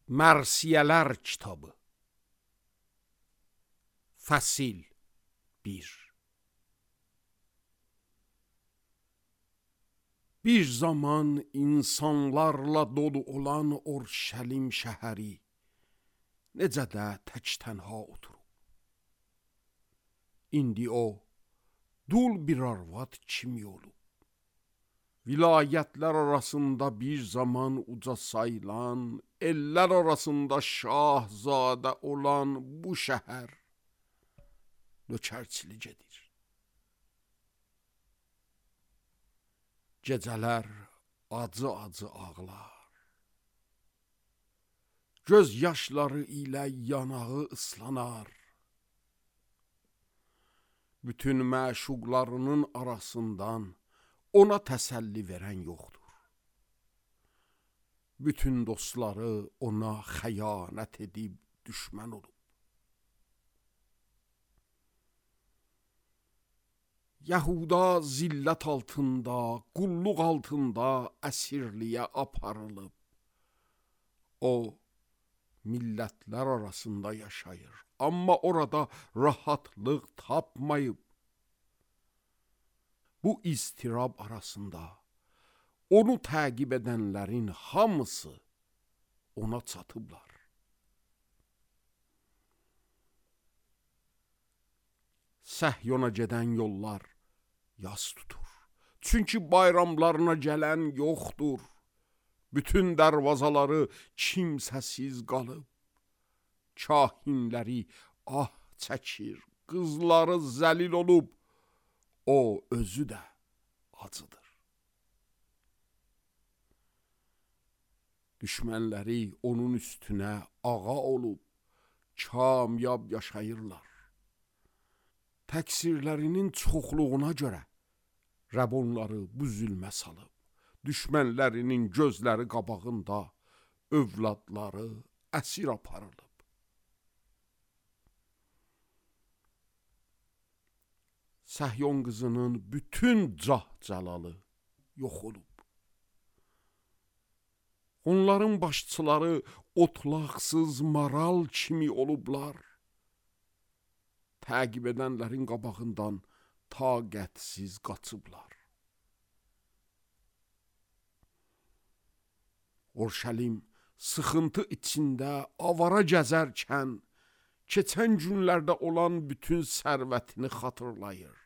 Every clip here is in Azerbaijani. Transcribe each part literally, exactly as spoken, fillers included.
Mərsiyələr kitabı. Fəsil bir. Bir zaman insanlarla dolu olan Orşəlim şəhəri necə də tək tənha oturub. İndi o dul bir arvad kimi olub. Vilayətlər arasında bir zaman uca sayılan, ellər arasında şahzadə olan bu şəhər nökərçilik edir. Gecələr acı-acı ağlar. Göz yaşları ilə yanağı ıslanar. Bütün məşuqlarının arasından ona təsəlli verən yoxdur. Bütün dostları ona xəyanət edib düşmən olub. Yahuda zillət altında, qulluq altında əsirliyə aparılıb. O, millətlər arasında yaşayır, amma orada rahatlıq tapmayıb. Bu istirab arasında onu təqib edənlərin hamısı ona çatıblar. Səhyona gedən yollar yas tutur. Çünki bayramlarına gələn yoxdur. Bütün dərvazaları kimsəsiz qalıb. Kahinləri ah çəkir, qızları zəlil olub. O özü də acıdır. Düşmənləri onun üstünə ağa olub, kamyab yaşayırlar. Təqsirlərinin çoxluğuna görə Rəbb onları bu zülmə salıb. Düşmənlərinin gözləri qabağında övladları əsir aparılıb. Səhyon qızının bütün cah-cəlalı yox olub. Onların başçıları otlaqsız maral kimi olublar. Təqib edənlərin qabağından taqətsiz qaçıblar. Orşəlim sıxıntı içində avara gəzərkən, keçən günlərdə olan bütün sərvətini xatırlayır.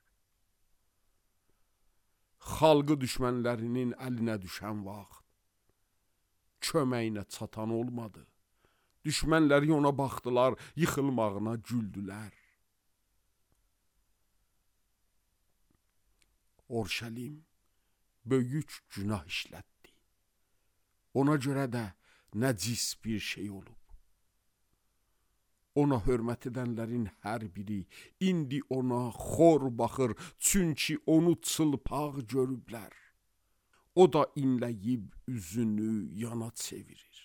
Xalqı düşmənlərinin əlinə düşən vaxt, köməyinə çatan olmadı. Düşmənləri ona baxdılar, yıxılmağına güldülər. Orşəlim böyük günah işlətdi. Ona görə də nəcis bir şey olub. Ona hörmət edənlərin hər biri indi ona xor baxır, çünki onu çılpaq görüblər. O da inləyib üzünü yana çevirir.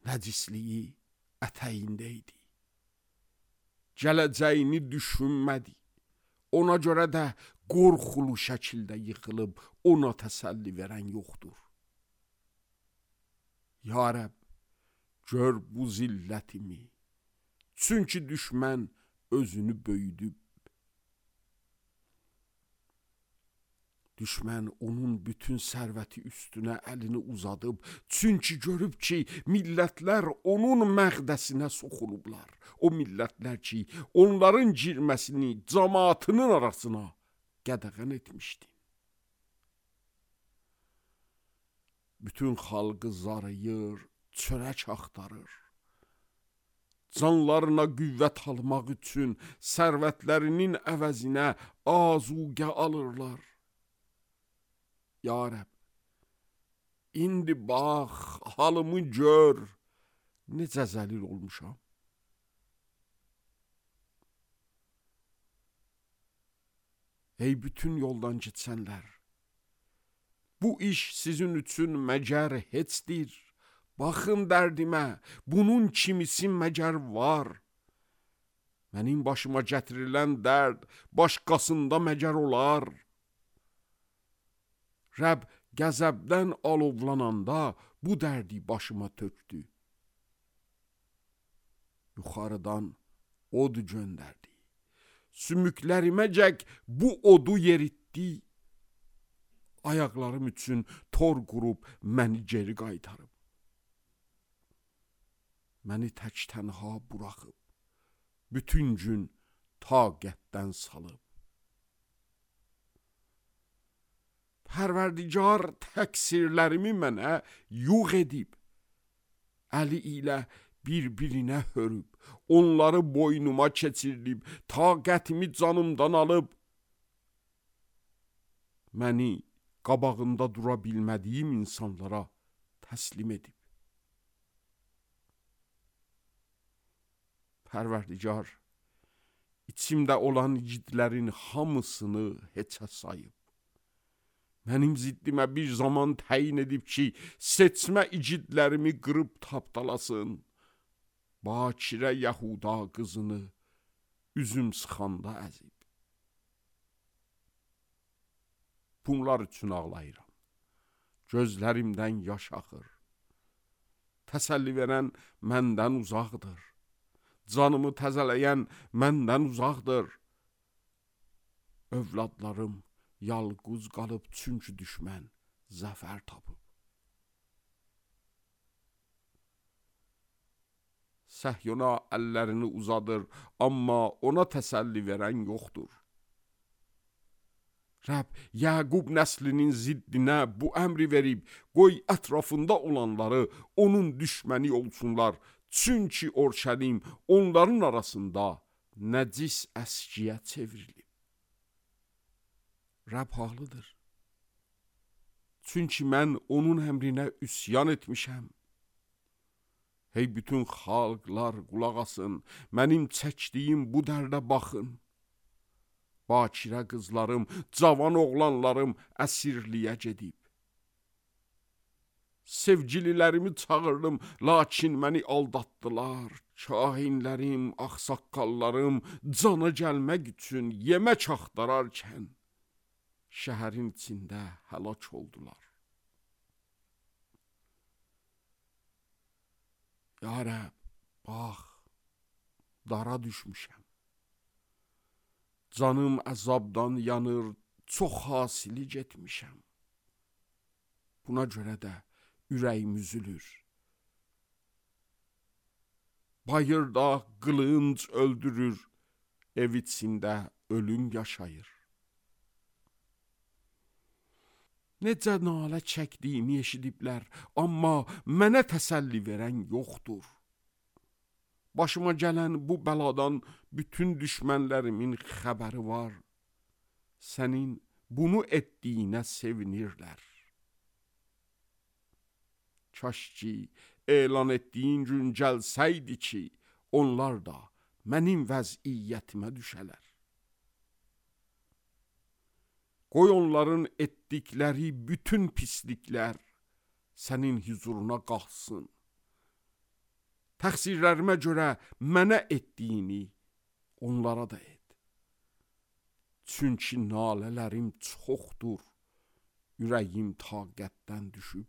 Nəcisliyi ətəyində idi. Gələcəyini düşünmədi. Ona görə də qorxulu şəkildə yıxılıb, ona təsəlli verən yoxdur. Ya Rəbb, gör bu zillətimi, çünki düşmən özünü böyüdüb. Düşmən onun bütün sərvəti üstünə əlini uzadıb, çünki görüb ki, millətlər onun məqdəsinə soxulublar. O millətlər ki, onların girməsini cəmaatının arasına qədəğən etmişdi. Bütün xalqı zarıyır, çörək axtarır. Canlarına qüvvət almaq üçün sərvətlərinin əvəzinə azuqə alırlar. Ya Rəbb, indi bax, halımı gör, necə zəlil olmuşam. Ey bütün yoldan keçənlər, bu iş sizin üçün məgər heçdir. Baxın dərdimə, bunun kimisi məgər var. Mənim başıma gətirilən dərd başqasında məgər olar. Rəbb Qəzəbdən alovlananda bu dərdi başıma tökdü. Yuxarıdan od göndərdi. Sümükləriməcək bu odu yeritdi. Ayaqlarım üçün tor qurub məni geri qaytarıb. Məni tək tənha buraxıb. Bütün gün taqətdən salıb. Pərverdigar təqsirlərimi mənə yuğ edib. Əli ilə bir-birinə hörüb. Onları boynuma keçirdib. Taqətimi canımdan alıb. Məni qabağında dura bilmədiyim insanlara təslim edib. Pərverdigar, içimdə olan igidlərin hamısını heçə sayıb. Mənim ziddimə bir zaman təyin edib ki, seçmə igidlərimi qırıb tapdalasın. Bakirə Yahuda qızını üzüm sıxanda əzib. Bunlar üçün ağlayıram. Gözlərimdən yaş axır. Təsəlli verən məndən uzaqdır. Canımı təzələyən məndən uzaqdır. Övladlarım yalquz qalıb çünki düşmən zəfər tapıb. Səhyona əllərini uzadır, amma ona təsəlli verən yoxdur. Rəbb Yaqub nəslinin ziddinə bu əmri verib, qoy ətrafında olanları onun düşməni olsunlar. Çünki Orşəlim onların arasında nəcis əskiyə çevrilib. Rəbb haqlıdır. Çünki mən onun əmrinə üsyan etmişəm. Hey bütün xalqlar qulaq asın, mənim çəkdiyim bu dərdə baxın. Bakirə qızlarım, cavan oğlanlarım əsirliyə gedib. Sevgililərimi çağırdım, lakin məni aldatdılar. Kahinlərim, ağsaqqallarım cana gəlmək üçün yemək axtararkən şəhərin içində həlak oldular. Ya Rəbb, bax, dara düşmüşəm. Canım əzabdan yanır, çox hasili getmişəm. Buna görə də ürəyim üzülür. Bayırda qılınc öldürür, ev içində ölüm yaşayır. Necə nalə çəkdiyimi eşidiblər, amma mənə təsəlli verən yoxdur. Başıma gələn bu bəladan bütün düşmənlərimin xəbəri var. Sənin bunu etdiyinə sevinirlər. Kaş ki, elan etdiyin gün gəlsəydi ki, onlar da mənim vəziyyətimə düşələr. Qoy onların etdikləri bütün pisliklər sənin huzuruna qalxsın. Təqsirlərimə görə mənə etdiyini onlara da et. Çünki nalələrim çoxdur, ürəyim taqətdən düşüb.